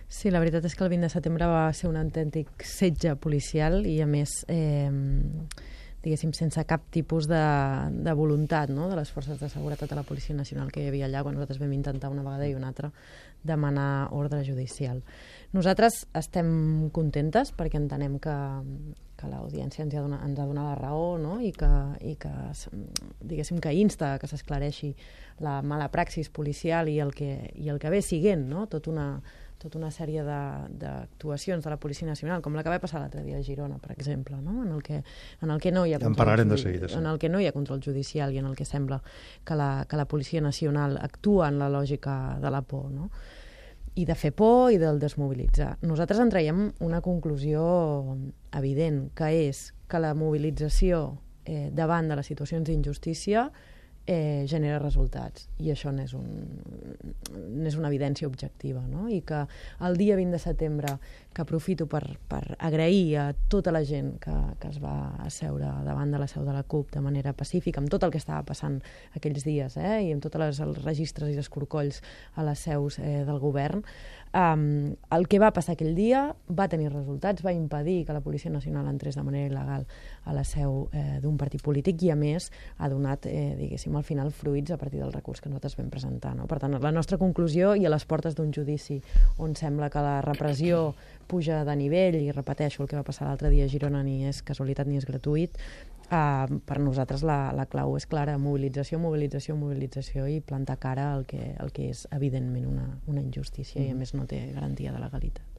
Sí, la veritat és que el 20 de setembre va ser un autèntic setge policial i, a més, diguéssim, sense cap tipus de voluntat, no?, de les forces de seguretat de la Policia Nacional que hi havia allà quan nosaltres vam intentar una vegada i una altra demanar ordre judicial. Nosaltres estem contentes perquè entenem que l'audiència ens ha donat la raó, no?, i que diguéssim que insta que s'esclareixi la mala praxis policial i el que ve siguent, no?, tota una sèrie d'actuacions de la Policia Nacional, com la que va passar l'altre dia a Girona, per exemple, no?, en el que no hi ha control judicial i en el que sembla que la Policia Nacional actua en la lògica de la por, no?, i de fer por i del desmobilitzar. Nosaltres en traiem una conclusió evident, que és que la mobilització davant de les situacions d'injustícia genera resultats, i això n'és una evidència objectiva, no? I que el dia 20 de setembre, que aprofito per agrair a tota la gent que es va asseure davant de la seu de la CUP de manera pacífica, amb tot el que estava passant aquells dies, i amb tots els registres i els corcolls a les seus del govern, el que va passar aquell dia va tenir resultats, va impedir que la Policia Nacional entrés de manera il·legal a la seu d'un partit polític i, a més, ha donat, diguéssim, al final fruits a partir del recurs que nosaltres vam presentar, no? Per tant, la nostra conclusió, i a les portes d'un judici on sembla que la repressió puja de nivell, i repeteixo, el que va passar l'altre dia a Girona ni és casualitat ni és gratuït, per nosaltres la clau és clara: mobilització, mobilització, mobilització, i plantar cara al que és evidentment una injustícia i, a més, no té garantia de legalitat.